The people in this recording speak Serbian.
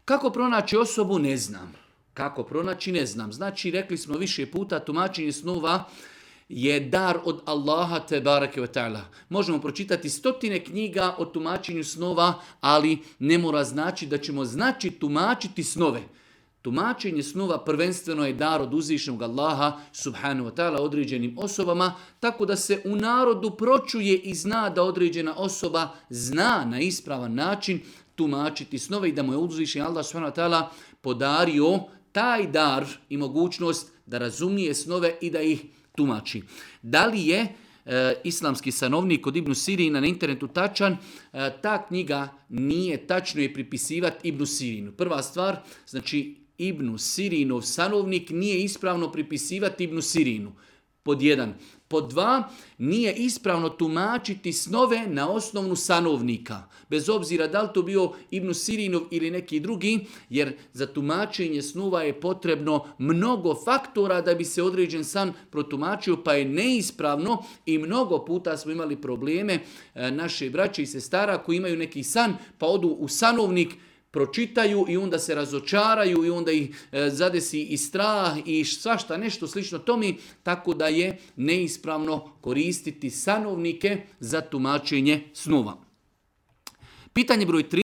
Kako pronaći osobu? Ne znam. Kako pronaći? Ne znam. Znači, rekli smo više puta, tumačenje snova je dar od Allaha te bareke ve ta'ala. Možemo pročitati 100 knjiga o tumačenju snova, ali ne mora znači da ćemo tumačiti snove. Tumačenje snova prvenstveno je dar od uzvišenog Allaha subhanahu wa ta'ala određenim osobama, tako da se u narodu pročuje i zna da određena osoba zna na ispravan način tumačiti snove i da mu je uzvišen Allah subhanahu wa ta'ala podario taj dar i mogućnost da razumije snove i da ih tumači. Da li je islamski sanovnik od Ibn Sirina na internetu tačan? Ta knjiga nije tačno je pripisivati Ibn Sirinu. Prva stvar, znači Ibn Sirinov sanovnik nije ispravno pripisivati Ibn Sirinu. Pod 1. Pod 2. Nije ispravno tumačiti snove na osnovnu sanovnika. Bez obzira da li to bio Ibn Sirinov ili neki drugi, jer za tumačenje snova je potrebno mnogo faktora da bi se određen san protumačio, pa je neispravno i mnogo puta smo imali probleme naše braće i sestara koji imaju neki san, pa odu u sanovnik, pročitaju i onda se razočaraju i onda ih zadesi i strah i svašta nešto slično tome, tako da je neispravno koristiti sanovnike za tumačenje snova. Pitanje broj 3.